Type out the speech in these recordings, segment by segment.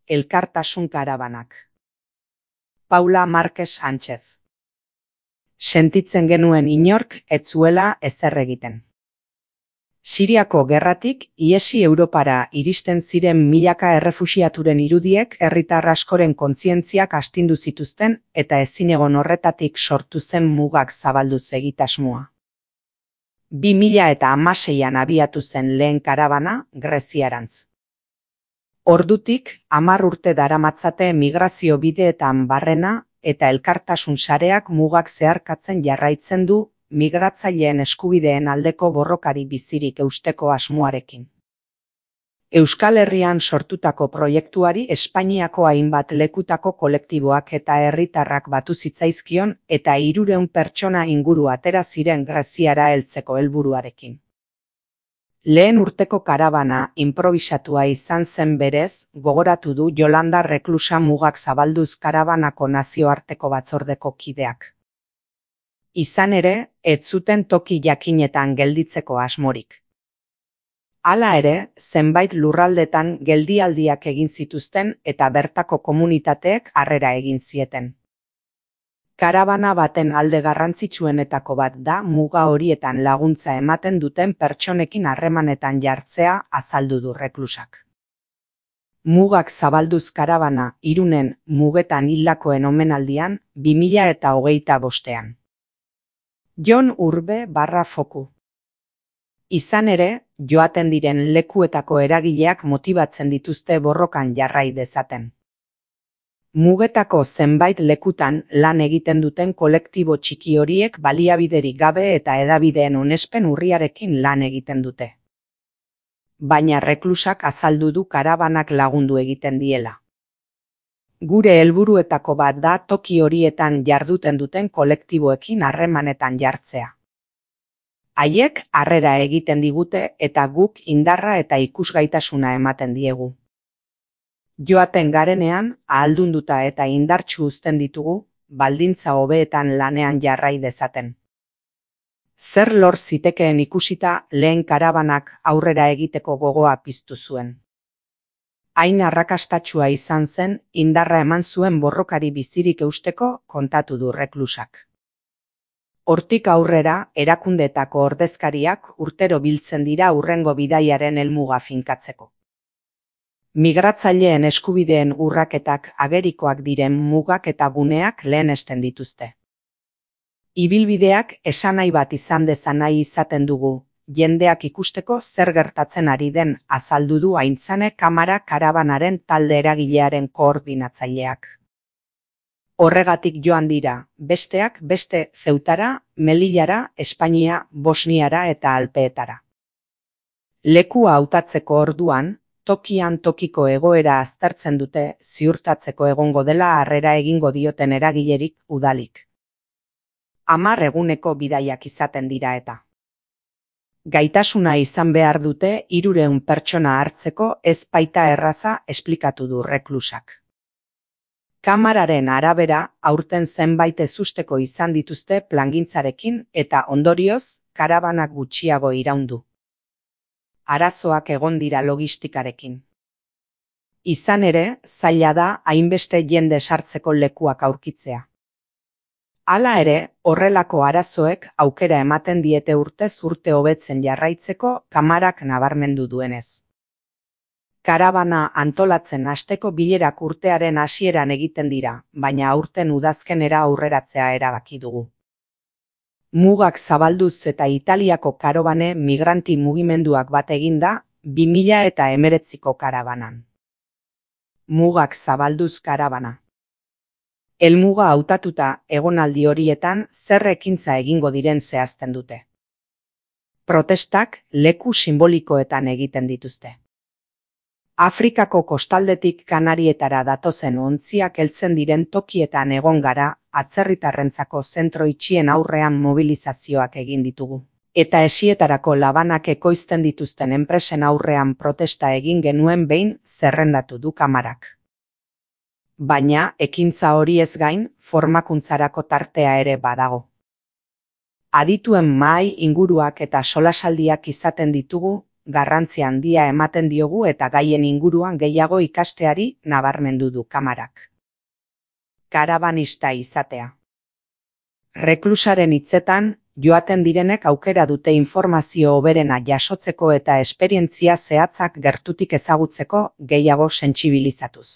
Elkartasun karabanak. Paula Márquez Sánchez. Sentitzen genuen inork ez zuela ezer egiten. Siriako gerratik ihesi Europara iristen ziren milaka errefuxiaturen irudiek herritar askoren kontzientziak astindu zituzten eta ezinegon horretatik sortu zen mugak zabalduz egitasmoa. 2016an abiatu zen lehen karabana Greziarantz. Ordutik 10 urte daramatzate migrazio bideetan barrena eta elkartasun sareak mugak zeharkatzen jarraitzen du migratzaileen eskubideen aldeko borrokari bizirik eusteko asmoarekin. Euskal Herrian sortutako proiektuari Espainiako hainbat lekutako kolektiboak eta herritarrak batu zitzaizkion eta 300 pertsona inguru atera ziren Greziara heltzeko helburuarekin. Lehen urteko karabana inprobisatua izan zen berez, gogoratu du Yolanda Reklusa mugak zabalduz karabanako nazioarteko batzordeko kideak. Izan ere, ez zuten toki jakinetan gelditzeko asmorik. Hala ere, zenbait lurraldetan geldialdiak egin zituzten eta bertako komunitateek harrera egin zieten. Karabana baten alde garrantzitsuenetako bat da muga horietan laguntza ematen duten pertsonekin harremanetan jartzea, azaldu du Reklusak. Mugak zabalduz karabana Irunen mugetan hildakoen omenaldian 2025an. Jon Urbe /Foku. Izan ere, joaten diren lekuetako eragileak motibatzen dituzte borrokan jarrai dezaten. Mugetako zenbait lekutan lan egiten duten kolektibo txiki horiek baliabiderik gabe eta hedabideen onespen urriarekin lan egiten dute. Baina Reklusak azaldu du karabanak lagundu egiten diela. Gure helburuetako bat da toki horietan jarduten duten kolektiboekin harremanetan jartzea. Haiek harrera egiten digute eta guk indarra eta ikusgaitasuna ematen diegu. Joaten garenean, ahaldunduta eta indartsu uzten ditugu, baldintza hobeetan lanean jarrai dezaten. Zer lor zitekeen ikusita lehen karabanak aurrera egiteko gogoa piztu zuen. Hain arrakastatsua izan zen, indarra eman zuen borrokari bizirik eusteko kontatu du Reklusak. Hortik aurrera, erakundeetako ordezkariak urtero biltzen dira hurrengo bidaiaren helmuga finkatzeko. Migratzaileen eskubideen urraketak agerikoak diren mugak eta guneak lehenesten dituzte. Ibilbideak esanahi bat izan dezan nahi izaten dugu, jendeak ikusteko zer gertatzen ari den, azaldu du Aintzane Kamara karabanaren talde eragilearen koordinatzaileak. Horregatik joan dira, besteak beste Zeutara, Melillara, Espainia, Bosniara eta Alpeetara. Lekua hautatzeko orduan, tokian tokiko egoera aztertzen dute ziurtatzeko egongo dela harrera egingo dioten eragilerik udalik. 10 eguneko bidaiak izaten dira eta. Gaitasuna izan behar dute 300 pertsona hartzeko ez baita erraza, esplikatu du Reklusak. Kamararen arabera, aurten zenbait ezusteko izan dituzte plangintzarekin eta ondorioz, karabanak gutxiago iraundu. Arazoak egon dira logistikarekin. Izan ere, zaila da hainbeste jende sartzeko lekuak aurkitzea. Hala ere, horrelako arazoek aukera ematen diete urtez urte hobetzen jarraitzeko Kamarak nabarmendu duenez. Karabana antolatzen hasteko bilerak urtearen hasieran egiten dira, baina aurten udazkenera aurreratzea erabaki dugu. Mugak zabalduz eta Italiako karabane migranti mugimenduak bat eginda 2019ko karabanan. Mugak zabalduz karabana. Helmuga hautatuta egonaldi horietan zer ekintza egingo diren zehazten dute. Protestak leku simbolikoetan egiten dituzte. Afrikako kostaldetik Kanarietara datozen ontziak heltzen diren tokietan egon gara, atzerritarrentzako zentro itxien aurrean mobilizazioak egin ditugu. Eta esietarako labanak ekoizten dituzten enpresen aurrean protesta egin genuen behin zerrendatu du Kamarak. Baina, ekintza hori ez gain, formakuntzarako tartea ere badago. Adituen mahai inguruak eta solasaldiak izaten ditugu, garrantzi handia ematen diogu eta gaien inguruan gehiago ikasteari nabarmendu du Kamarak. Karabanista izatea. Reklusaren hitzetan, joaten direnek aukera dute informazio hoberena jasotzeko eta esperientzia zehatzak gertutik ezagutzeko gehiago sentsibilizatuz.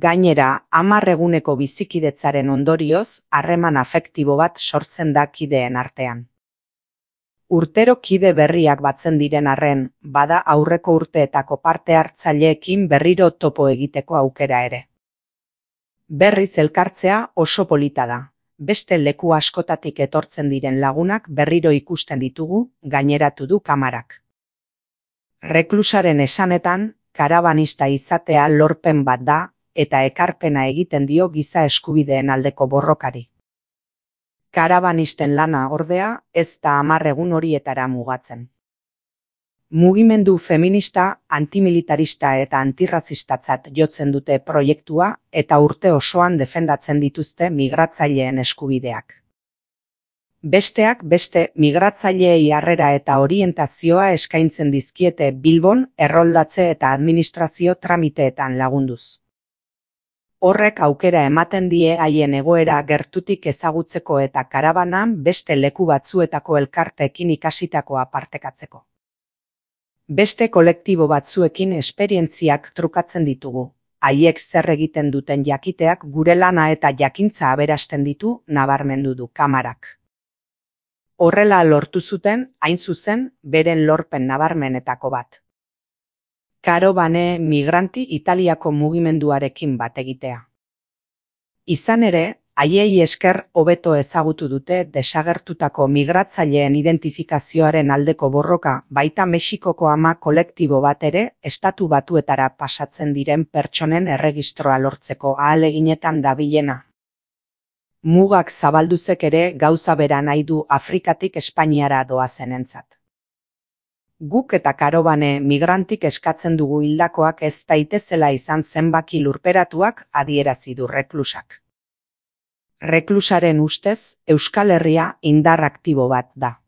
Gainera, 10 eguneko bizikidetzaren ondorioz, harreman afektibo bat sortzen da kideen artean. Urtero kide berriak batzen diren arren, bada aurreko urteetako parte hartzaileekin berriro topo egiteko aukera ere. Berriz elkartzea oso polita da. Beste leku askotatik etortzen diren lagunak berriro ikusten ditugu, gaineratu du Kamarak. Reklusaren esanetan, karabanista izatea lorpen bat da, eta ekarpena egiten dio giza eskubideen aldeko borrokari. Karabanisten lana ordea ez da 10 egun horietara mugatzen. Mugimendu feminista, antimilitarista eta antirrazistatzat jotzen dute proiektua eta urte osoan defendatzen dituzte migratzaileen eskubideak. Besteak beste migratzaileei harrera eta orientazioa eskaintzen dizkiete Bilbon erroldatze eta administrazio tramiteetan lagunduz. Horrek aukera ematen die haien egoera gertutik ezagutzeko eta karabanan beste leku batzuetako elkarteekin ikasitakoa partekatzeko. Beste kolektibo batzuekin esperientziak trukatzen ditugu. Haiek zer egiten duten jakiteak gure lana eta jakintza aberasten ditu, nabarmendu du Kamarak. Horrela lortu zuten, hain zuzen, beren lorpen nabarmenetako bat. Karobane migranti Italiako mugimenduarekin bat egitea. Izan ere, haiei esker hobeto ezagutu dute desagertutako migratzaileen identifikazioaren aldeko borroka baita Mexikoko ama kolektibo bat ere Estatu Batuetara pasatzen diren pertsonen erregistroa lortzeko ahaleginetan dabilena. Mugak zabalduzek ere gauza bera nahi du Afrikatik Espainiara doazenentzat. Guk eta karobane migrantik eskatzen dugu hildakoak ez daitezela izan zenbaki lurperatuak adierazi du reklusak. Reklusaren ustez, Euskal Herria indar aktibo bat da.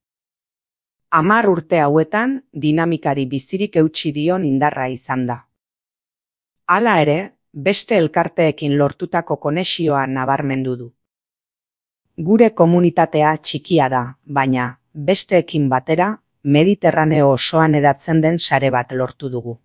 10 urte hauetan dinamikari bizirik eutsi dion indarra izan da. Hala ere, beste elkarteekin lortutako konexioa nabarmendu du. Gure komunitatea txikia da, baina, besteekin batera, Mediterraneo osoan hedatzen den sare bat lortu dugu.